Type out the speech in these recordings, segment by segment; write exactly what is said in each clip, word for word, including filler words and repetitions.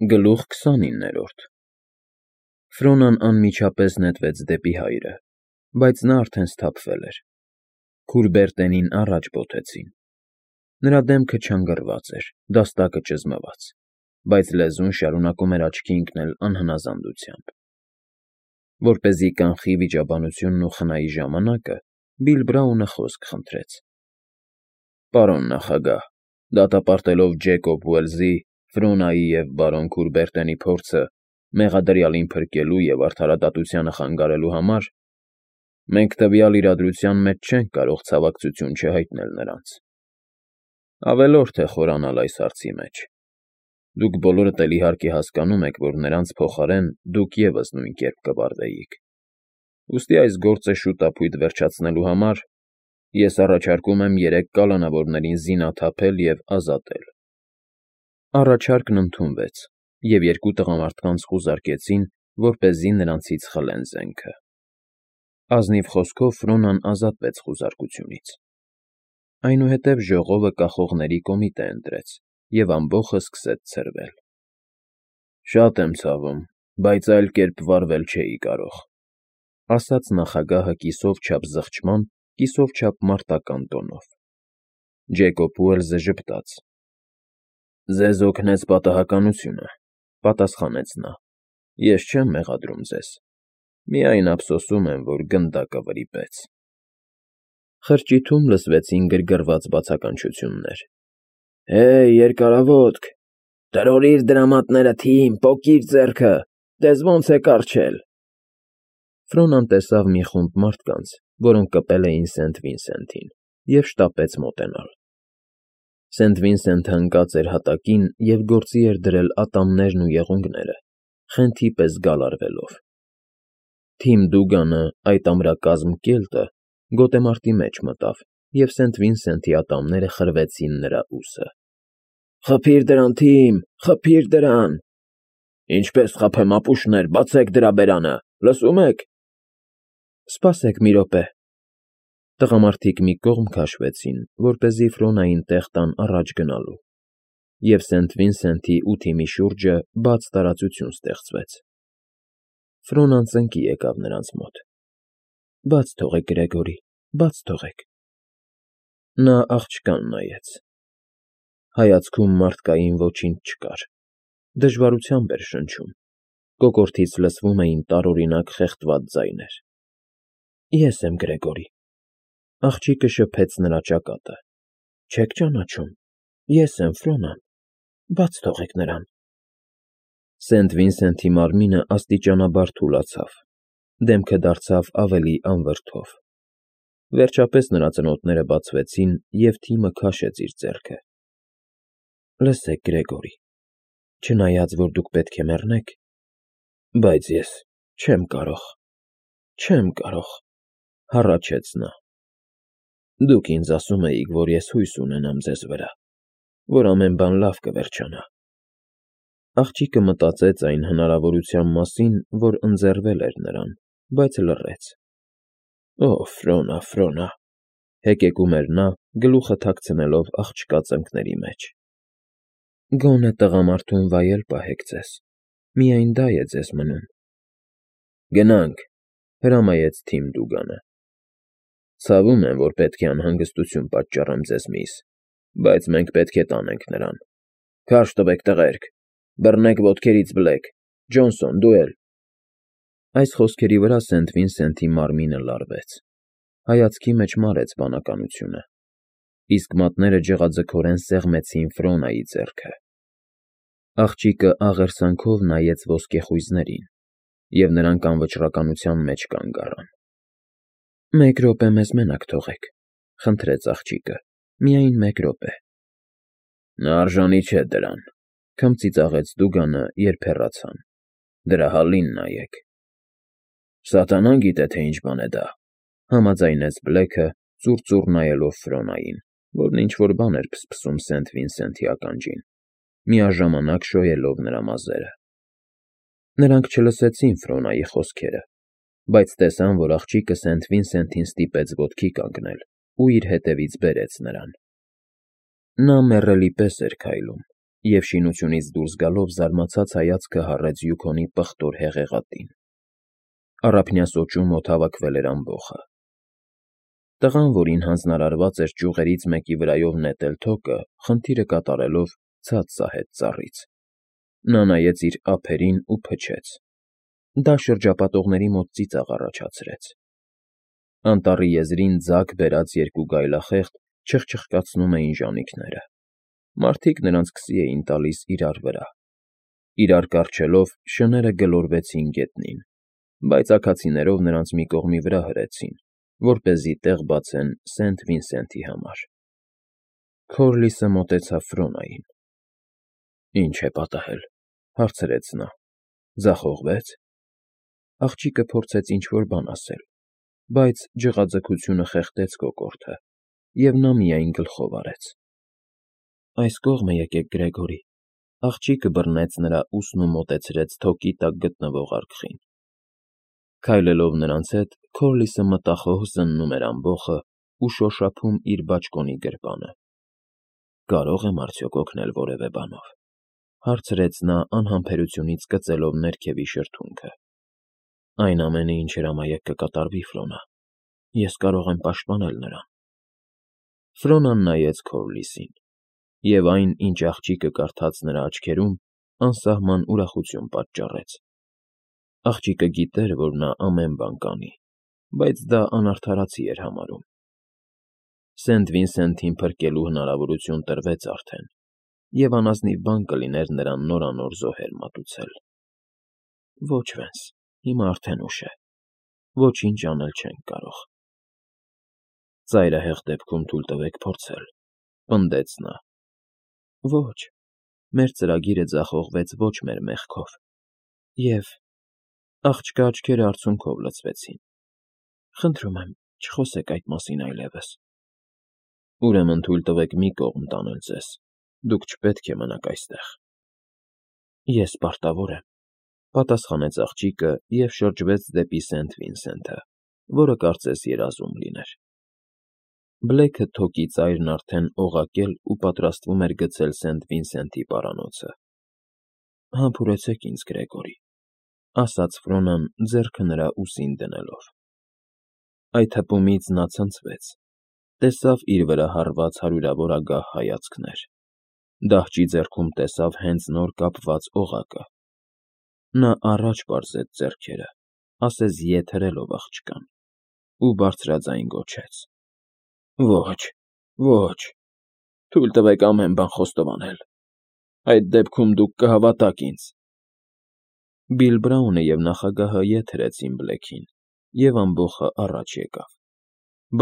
Գլուխ քսանիններորդ Ֆրոնան անմիջապես նետվեց դեպի հայրը, բայց նա արդեն սթափվել էր. քուրբերտենին առաջ բոթեցին. նրա դեմքը չանգռված էր, դաստակը ճզմված, բայց լեզուն շարունակում էր աչքի ընկնել անհնազանդությամբ։ Որպեսզի կանխի վիճաբանությունն ու խնայի ժամանակը, Բիլ Բրաունը խոսք խնդրեց. Պարոն նախագահ, դատապարտելով Ջեյկոբ Ուելսի, Ֆրոնայի և բարոն Քուրբերտենի փորձը մեղադրյալին փրկելու և արդարադատությանը խանգարելու համար, մենք տվյալ իրադրության մեջ չենք կարող ցավակցություն չհայտնել նրանց։ Ավելորդ է խորանալ այս հարցի մեջ։ Դուք բոլորդ էլ իհարկե հասկանում եք, որ նրանց փոխարեն դուք ևս նույն կերպ կվարվեիք։ Ուստի այս գործը շուտափույթ վերջացնելու համար ես առաջարկում եմ երեք կալանավորներին զինաթափել և ազատել։ Առաջարկն ընդունվեց, և երկու տղամարդկանց խուզարկեցին, որպեսզի նրանցից խլեն զենքը։ Ազնիվ խոսքով Ֆրոնան ազատվեց խուզարկությունից։ Այնուհետև ժողովը կախողների կոմիտե ընտրեց, և ամբոխը սկսեց ցրվել։ Շատ եմ ցավում, բայց այլ կերպ վարվել չէի կարող, ասաց նախագահը կիսով չափ զղջման, կիսով չափ մարտական տոնով։ Ջեյկոբ Ուելսը ժպտաց. Ձեզ օգնեց պատահականությունը, պատասխանեց նա, ես չեմ մեղադրում ձեզ, միայն ափսոսում եմ, որ գնդակը վրիպեց։ Խրճիթում լսվեցին գրգռված բացականչություններ. Հեյ, երկարավոտք, տրորիր դրամատները, թիմ, պոկիր ձեռքը, տես ոնց է կառչել։ Ֆրոնան տեսավ մի խումբ մարդկանց, որոնք կպել էին Սենթ Վինսենթին, և շտապեց մոտենալ։ Սենթ Վինսենթը ընկած էր հատակին և գործի էր դրել ատամներն ու եղունգները, խենթի պես գալարվելով։ Թիմ Դուգանը, այդ ամրակազմ կելտը, գոտեմարտի մեջ մտավ, և Սենթ Վինսենթի ատամները խրվեցին նրա ուսը։ Խփիր դրան, թիմ, խփիր դրան։ Ինչպես խփեմ, ապուշներ, բացեք դրա բերանը, լսում եք։ Սպասեք մի րոպե։ Տղամարդիկ մի կողմ քաշվեցին, որպեսզի Ֆրոնային տեղ տան առաջ գնալու, և Սենթ Վինսենթի ու թիմի շուրջը բաց տարածություն ստեղծվեց։ Ֆրոնան ծնկի եկավ նրանց մոտ։ Բաց թողեք, Գրեգորի, բաց թողեք։ Նա աղջկան նայեց։ Հայացքում մարդկային ոչինչ չկար, դժվարությամբ էր շնչում, կոկորդից լսվում էին տարօրինակ խեղդված ձայներ։ Ես եմ Գրեգորի։ Աղջիկը շփեց նրա ճակատը։ Չեք ճանաչում, ես եմ Ֆրոնան, բաց թողեք նրան։ Սենթ Վինսենթի մարմինը աստիճանաբար թուլացավ, դեմքը դարձավ ավելի անվրդով։ Վերջապես նրա ծնոտները բացվեցին, և թիմը քաշեց իր ձեռքը։ Լսեք, Գրեգորի, չնայած որ դուք պետք է մեռնեք, բայց ես չեմ կարող, չեմ կարող, հառաչեց նա։ Դուք ինձ ասում էիք, որ ես հույս ունենամ ձեզ վրա, որ ամեն բան լավ կվերջանա։ Աղջիկը մտածեց այն հնարավորության մասին, որ ընձեռվել էր նրան, բայց լռեց։ Օ, Ֆրոնա, Ֆրոնա, հեկեկում էր նա, գլուխը թաքցնելով աղջկա ծնկների մեջ։ Գոնե տղամարդուն վայել պահեք ձեզ, միայն դա է ձեզ մնում։ Գնանք, հրամայեց թիմ Դուգանը։ Ցավում եմ, որ պետք է անհանգստություն պատճառեմ ձեզ, միս, բայց մենք պետք է տանենք նրան։ Քարշ տվեք, տղերք, բռնեք ոտքերից բլեք, Ջոնսոն, դու էլ։ Այս խոսքերի վրա Սենթ Վինսենթի մարմինը լարվեց, հայացքի մեջ մարեց բանականությունը, իսկ մատները ջղաձգորեն սեղմեցին Ֆրոնայի ձեռքը։ Աղջիկը աղերսանքով նայեց ոսկեխույզներին, և նրանք անվճռականության մեջ կանգ առան։ Մեկ րոպե մեզ մենակ թողեք, խնդրեց աղջիկը, միայն մեկ րոպե։ Նա արժանի չէ դրան, քմծիծաղեց Դուգանը, երբ հեռացան։ Դրա հալին նայեք։ Սատանան գիտե, թե ինչ բան է դա, համաձայնեց Բլեքը, ծուռ-ծուռ նայելով Ֆրոնային, որն ինչ֊որ բան էր փսփսում Սենթ Վինսենթի ականջին, միաժամանակ շոյելով նրա մազերը։ Նրանք չլսեցին Ֆրոնայի խոսքերը, բայց տեսան, որ աղջիկը Սենթ Վինսենթին ստիպեց ոտքի կանգնել ու իր հետևից բերեց նրան։ Նա մեռելի պես էր քայլում, Եվ շինությունից դուրս գալով զարմացած հայացքը հառեց Յուքոնի պղտոր հեղեղատին։ Առափնյա սոճում օդհավաքվել էր ամբոխը։ Տղան, որին հանձնարարված էր ճյուղերից մեկի վրայով նետել թոկը, խնդիրը կատարելով ցած սահեց ծառից։ Նա նայեց իր ափերին ու փչեց։ Դա շրջապատողների մոտ ծիծաղ առաջացրեց։ Անտառի եզրին ձագ բերած երկու գայլախեղդ չխչխկացնում էին ժանիքները։ Մարդիկ նրանց քսի էին տալիս իրար վրա։ Իրար կառչելով՝ շները գլորվեցին գետնին, բայց աքացիներով նրանց մի կողմի վրա հրեցին, որպեսզի տեղ բացեն Սենթ Վինսենթի համար։ Քորլիսը մոտեցավ Ֆրոնային։ «Ինչ է պատահել,֊ հարցրեց նա,֊ ձախողվե՞ց»։ Աղջիկը փորձեց ինչ֊որ բան ասել, բայց ջղաձգությունը խեղդեց կոկորդը, և նա միայն գլխով արեց։ «Այս կողմը եկեք, Գրեգորի,֊ աղջիկը բռնեց նրա ուսն ու մոտեցրեց թոկի տակ գտնվող արկղին։ Քայլելով նրանց հետ՝ Քորլիսը մտախոհ զննում էր ամբոխը ու շոշափում իր բաճկոնի գրպանը։ «Կարո՞ղ եմ արդյոք օգնել որևէ բանով,֊ հարցրեց նա անհամբերությունից կծելով ներքևի շրթունքը։ «Այն ամենը, ինչ հրամայեք, կկատարվի, Ֆրոնա։ Ես կարող եմ պաշտպանել նրան»։ Ֆրոնան նայեց Քորլիսին, և այն, ինչ աղջիկը կարդաց նրա աչքերում, անսահման ուրախություն պատճառեց։ Աղջիկը գիտեր, որ նա ամեն բան կանի, բայց դա անարդարացի էր համարում։ Սենթ Վինսենթին փրկելու հնարավորություն տրվեց արդեն, և անազնիվ բան կլիներ նրան նորանոր զոհեր մատուցել։ Ոչ, Վենս, հիմա արդեն ուշ է, ոչինչ անել չենք կարող։ Ծայրահեղ դեպքում թույլ տվեք փորձել,֊ պնդեց նա։ Ոչ, մեր ծրագիրը ձախողվեց ոչ մեր մեղքով, և… Աղջկա աչքերը արցունքով լցվեցին։ Խնդրում եմ, չխոսեք այդ մասին այլևս։ Ուրեմն թույլ տվեք մի կողմ տանել ձեզ, դուք չպետք է մնաք այստեղ։ Ես պարտավոր եմ,֊ պատասխանեց աղջիկը և շրջվեց դեպի Սենթ Վինսենթը, որը կարծես երազում լիներ։ Բլեքը թոկի ծայրն արդեն օղակել ու պատրաստվում էր գցել Սենթ Վինսենթի պարանոցը։ «Համբուրեցեք ինձ, Գրեգորի,֊ ասաց Ֆրոնան, ձեռքը նրա ուսին դնելով։ Այդ հպումից նա ցնցվեց, տեսավ իր վրա հառված հարյուրավոր ագահ հայացքներ, դահճի ձեռքում տեսավ հենց նոր կապված օղակը։ Նա առաջ պարզեց ձեռքերը, ասես ետ հրելով աղջկան, ու բարձրաձայն գոչեց. «Ոչ, ոչ, թույլ տվեք ամեն բան խոստովանել, այդ դեպքում դուք կհավատաք ինձ»։ Բիլ Բրաունը և նախագահը ետ հրեցին Բլեքին, և ամբոխը առաջ եկավ։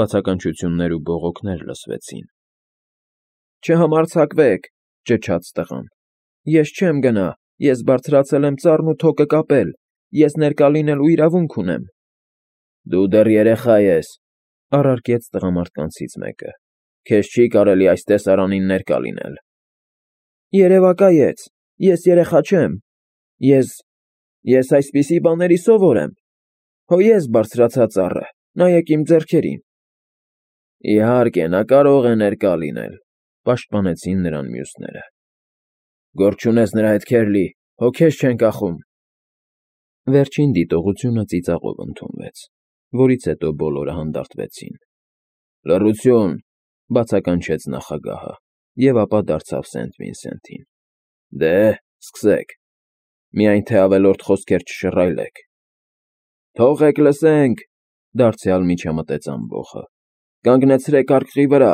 Բացականչություններ ու բողոքներ լսվեցին։ «Չհամարձակվեք,֊ ճչաց տղան,֊ ես չեմ գնա, ես բարձրացել եմ ծառն ու թոկը կապել, ես ներկա լինելու իրավունք ունեմ»։ «Դու դեռ երեխա ես,֊ առարկեց տղամարդկանցից մեկը,֊ քեզ չի կարելի այս տեսարանին ներկա լինել»։ «Երևակայեց, ես երեխա չեմ, ես… ես այսպիսի բաների սովոր եմ։ Հո ես բարձրացա ծառը, նայեք իմ ձեռքերին»։ «Իհարկե, նա կարող է ներկա լինել,֊ պաշտպանեցին նրան մյուսները։ «Գործ չունես նրա հետ, Քերլի, հո քեզ չեն կախում»։ Վերջին դիտողությունը ծիծաղով ընդունվեց, որից հետո բոլորը հանդարտվեցին։ «Լռություն,֊ բացականչեց նախագահը, և ապա դարձավ Սենթ Վինսենթին։ Դե, սկսեք, միայն թե ավելորդ խոսքեր չշռայլեք»։ «Թողեք լսենք,֊ դարձյալ միջամտեց ամբոխը,֊ կանգնեցրեք արկղի վրա»։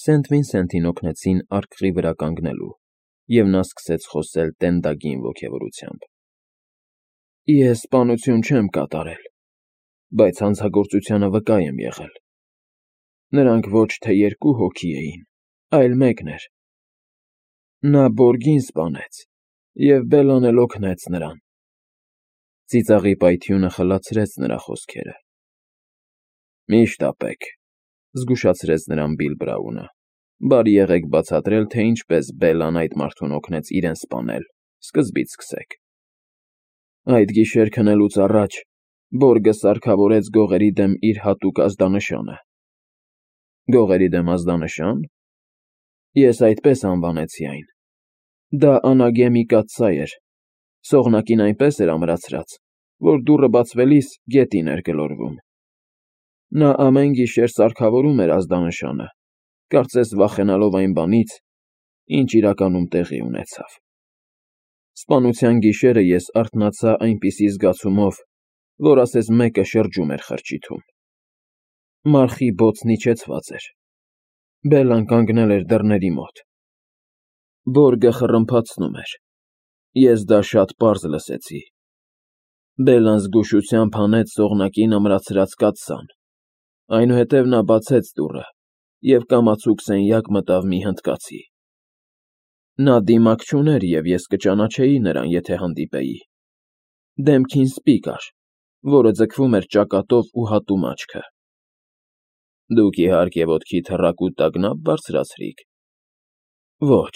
Սենթ Վինսենթին օգնեցին արկղի վրա կանգնելու, և նա սկսեց խոսել տենդագին ոգևորությամբ։ «Ես սպանություն չեմ կատարել, բայց հանցագործությանը վկա եմ եղել։ Նրանք ոչ թե երկու հոգի էին, այլ մեկն էր։ Նա Բորգին սպանեց, և Բելլան էլ օգնեց նրան»։ Ծիծաղի պայթյունը խլացրեց նրա խոսքերը։ «Մի՛ շտապեք,֊ զգուշացրեց նրան Բիլ Բրաունը,֊ բարի եղեք բացատրել, թե ինչպես Բելլան այդ մարդուն օգնեց իրեն սպանել, սկզբից սկսեք»։ «Այդ գիշեր քնելուց առաջ Բորգը սարքավորեց գողերի դեմ իր հատուկ ազդանշանը»։ «Գողերի դեմ ազդանշա՞ն»։ Ես այդպես անվանեցի այն։ Դա անագեմի կաթսայ էր, սողնակին այնպես էր ամրացրած, որ դուռը բացվելիս գետին էր գլորվում։ Նա ամեն գիշեր սարքավորում էր ազդանշանը, կարծես վախենալով այն բանից, ինչ իրականում տեղի ունեցավ։ Սպանության գիշերը ես արթնացա այնպիսի զգացումով, որ ասես մեկը շրջում էր խրճիթում։ Մարխի բոցն իջեցված էր։ Բելլան կանգնել էր դռների մոտ։ Բորգը խռմփացնում էր։ Ես դա շատ պարզ լսեցի։ Բելլան զգուշությամբ հանեց սողնակին ամրացրած կաթսան։ Այնուհետև նա բացեց դուռը և կամացուկ սենյակ մտավ մի հնդկացի։ Նա դիմակ չուներ, և ես կճանաչեի նրան, եթե հանդիպեի։ Դեմքին սպի կար, որը ձգվում էր ճակատով ու հատում աչքը։ Դուք իհարկե ոտքիդ հեռակու տագնապ բարձրացրիք։ Ոչ,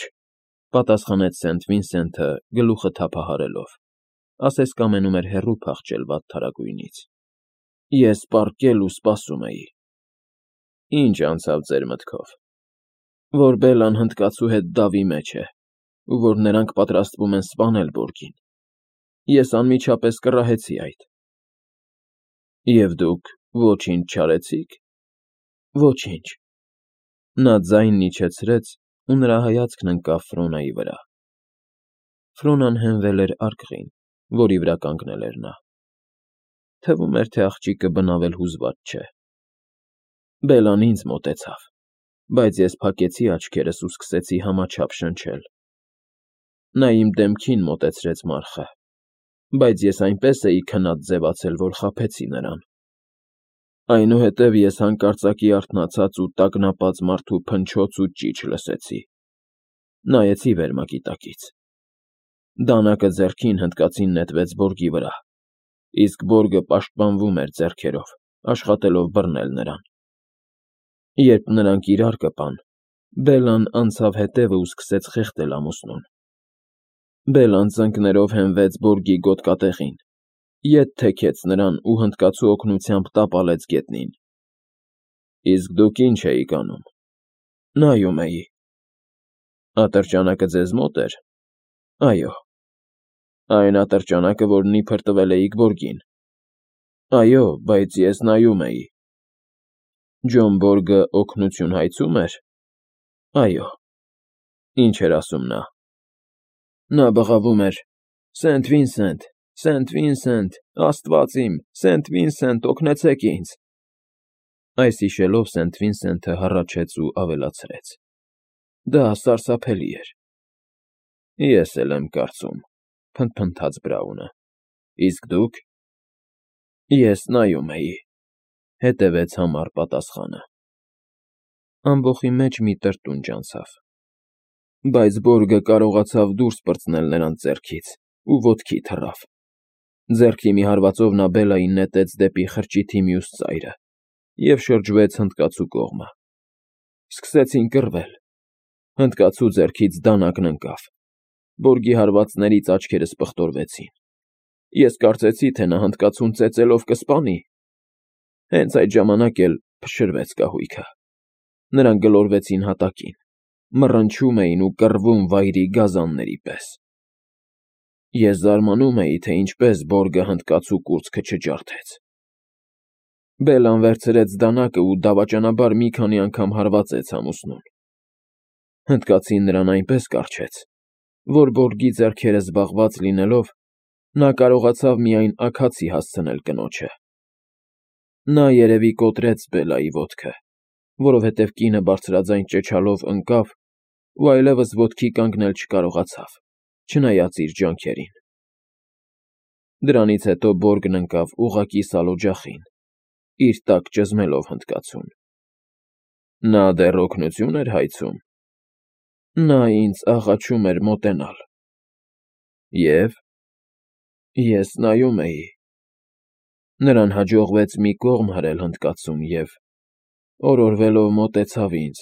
պատասխանեց Սենթ Վինսենթը գլուխը թափահարելով, ասես կամենում էր հեռու փախչել վատթարագույնից։ Ես պառկել ու սպասում էի։ Ինչ անցավ ձեր մտքով։ Որ Բելլան հնդկացու հետ դավի մեջ է, ու որ նրանք պատրաստվում են սպանել Բորգին։ Ես անմիջապես կռահեցի այդ։ Եվ դուք ոչինչ չարեցիք։ Ոչինչ։ Նա ձայնն իջեցրեց, ու նրա հայացքն ընկավ Ֆրոնայի վրա։ Ֆրոնան հենվել էր արկղին, որի վրա կանգնել էր նա։ Թվում էր, թե աղջիկը բնավել հուզված չէ։ Բելլան ինձ մոտեցավ, բայց ես փակեցի աչքերս ու սկսեցի համաչափ շնչել։ Նա իմ դեմքին մոտեցրեց մարխը, բայց ես այնպես էի քնած ձևացել, որ խաբեցի նրան։ Այնուհետև ես հանկարծակի արթնացած ու տագնապած մարդու փնչոց ու ճիչ լսեցի։ Նայեցի վերմակի տակից։ Դանակը ձեռքին հնդկացին նետվեց Բորգի վրա, իսկ Բորգը պաշտպանվում էր ձեռքերով, աշխատելով բռնել նրան։ Երբ նրանք իրար կպան, Բելլան անցավ հետևը ու սկսեց խեղդել ամուսնուն։ Բելլան ծնկներով հենվեց Բորգի գոտկատեղին, ետ թեքեց նրան ու հնդկացու օգնությամբ տապալեց գետնին։ Իսկ դուք ինչ էիք անում։ Նայում էի։ Ատրճանակը ձեզ մոտ էր։ Այո։ Այն ատրճանակը, որն իբր տվել էիք Բորգին։ Այո, բայց ես նայում էի։ Ջոն Բորգը օգնություն հայցում էր։ Այո։ Ինչ էր ասում նա։ Նա բղավում էր. Սենթ Վինսենթ, Սենթ Վինսենթ, Աստված իմ, Սենթ Վինսենթ, օգնեցեք ինձ։ Այս հիշելով Սենթ Վինսենթը հառաչեց ու ավելացրեց. Դա սարսափելի էր։ Ես էլ եմ կարծում, փնթփնթաց Բրաունը։ Իսկ դուք։ Ես նայում էի, հետևեց համառ պատասխանը։ Ամբոխի մեջ մի տրտունջ անցավ։ Բայց Բորգը կարողացավ դուրս պրծնել նրանց ձեռքից ու ոտքի թռավ։ Ձեռքի մի հարվածով նա Բելլային նետեց դեպի խրճիթի մյուս ծայրը և շրջվեց հնդկացու կողմը։ Սկսեցին կռվել։ Հնդկացու ձեռքից դանակն ընկավ։ Բորգի հարվածներից աչքերս պղտորվեցին։ Ես կարծեցի, թե նա հնդկացուն ծեծելով կսպանի։ Հենց այդ ժամանակ էլ փշրվեց կահույքը։ Նրանք գլորվեցին հատակին, մռնչում էին ու կռվում վայրի գազանների պես։ Ես զարմանում էի, թե ինչպես Բորգը հնդկացու կուրծքը չջարդեց։ Բելլան վերցրեց դանակը ու դավաճանաբար մի քանի անգամ հարվածեց ամուսնուն։ Հնդկացին նրան այնպես կառչեց, որ Բորգի ձեռքերը զբաղված լինելով, նա կարողացավ միայն աքացի հասցնել կնոջը։ Նա երևի կոտրեց Բելլայի ոտքը, որովհետև կինը բարձրաձայն ճչալով ընկավ ու այլևս ոտքի կանգնել չկարողացավ, չնայած իր ջանքերին։ Դրանից հետո Բորգն ընկավ ուղղակի սալօջախին, իր տակ ճզմելով հնդկացուն։ Նա դեռ օգնություն էր հայցում։ Նա ինձ աղաչում էր մոտենալ։ Եվ ես նայում էի։ Նրան հաջողվեց մի կողմ հրել հնդկացուն և, օրորվելով, մոտեցավ ինձ։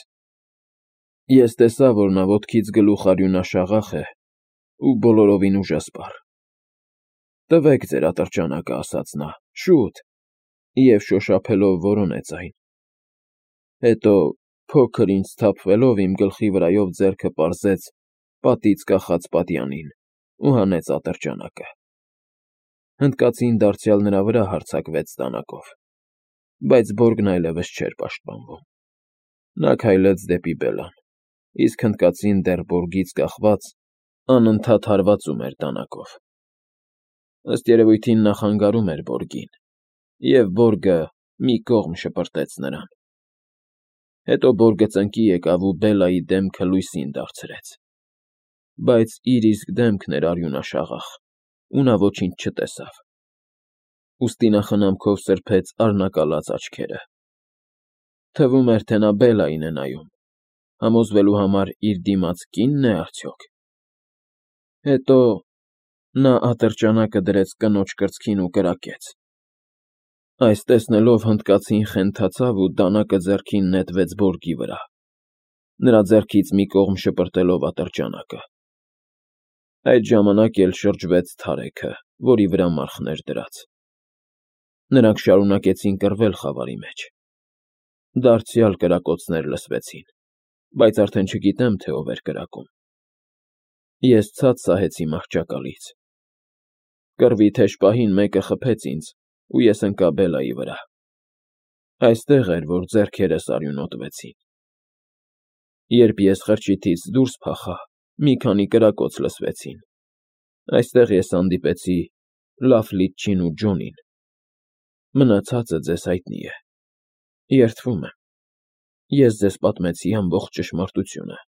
Ես տեսա, որ նա ոտքից գլուխ արյունաշաղախ է ու բոլորովին ուժասպառ։ Տվեք ձեր ատրճանակը, ասաց նա, շուտ, և շոշափելով որոնեց այն։ Հետո Փոքր ինձ սթափվելով իմ գլխի վրայով ձեռքը պարզեց պատից կախած պատյանին ու հանեց ատրճանակը։ Հնդկացին դարձյալ նրա վրա հարձակվեց դանակով, բայց բորգն այլևս չէր պաշտպանվում։ Նա քայլեց դեպի Բելլան, իսկ հնդկացին դեռ բորգից կախված անընդհատ հարվածում էր դանակով։ Ըստ երևույթին նա խանգարում էր բորգին, և բորգը մի կողմ շպրտեց նրան։ Հետո բորգը ծնկի եկավ ու Բելլայի դեմքը լույսին դարձրեց, բայց իր իսկ դեմքն էր արյունաշաղախ, ու նա ոչինչ չտեսավ։ Ուստի նա խնամքով սրբեց արնակալած աչքերը։ Թվում էր, թե նա Բելլային է նայում, համոզվելու համար իր դիմաց կի՞նն է արդյոք։ Հետո նա ատրճանակը դրեց կնոջ կրծքին ու կրակեց։ Այս տեսնելով հնդկացին խենթացավ ու դանակը ձեռքին նետվեց բորգի վրա, նրա ձեռքից մի կողմ շպրտելով ատրճանակը։ Այդ ժամանակ էլ շրջվեց թարեքը, որի վրա մարխն էր դրած։ Նրանք շարունակեցին կռվել խավարի մեջ։ Դարձյալ կրակոցներ լսվեցին, բայց արդեն չգիտեմ, թե ով էր կրակում։ Ես ցած սահեցի մահճակալից։ Կռվի թեժ պահին մեկը խփեց ինձ, ու ես ընկա Բելլայի վրա։ Այստեղ էր, որ ձեռքերս արյունոտվեցին։ Երբ ես խրճիթից դուրս փախա, մի քանի կրակոց լսվեցին։ Այստեղ ես հանդիպեցի Լաֆլիտչին ու Ջոնին։ Մնացածը ձեզ հայտնի է։ Երդվում եմ։ Ես ձեզ պատմեցի ամբողջ ճշմարտությունը։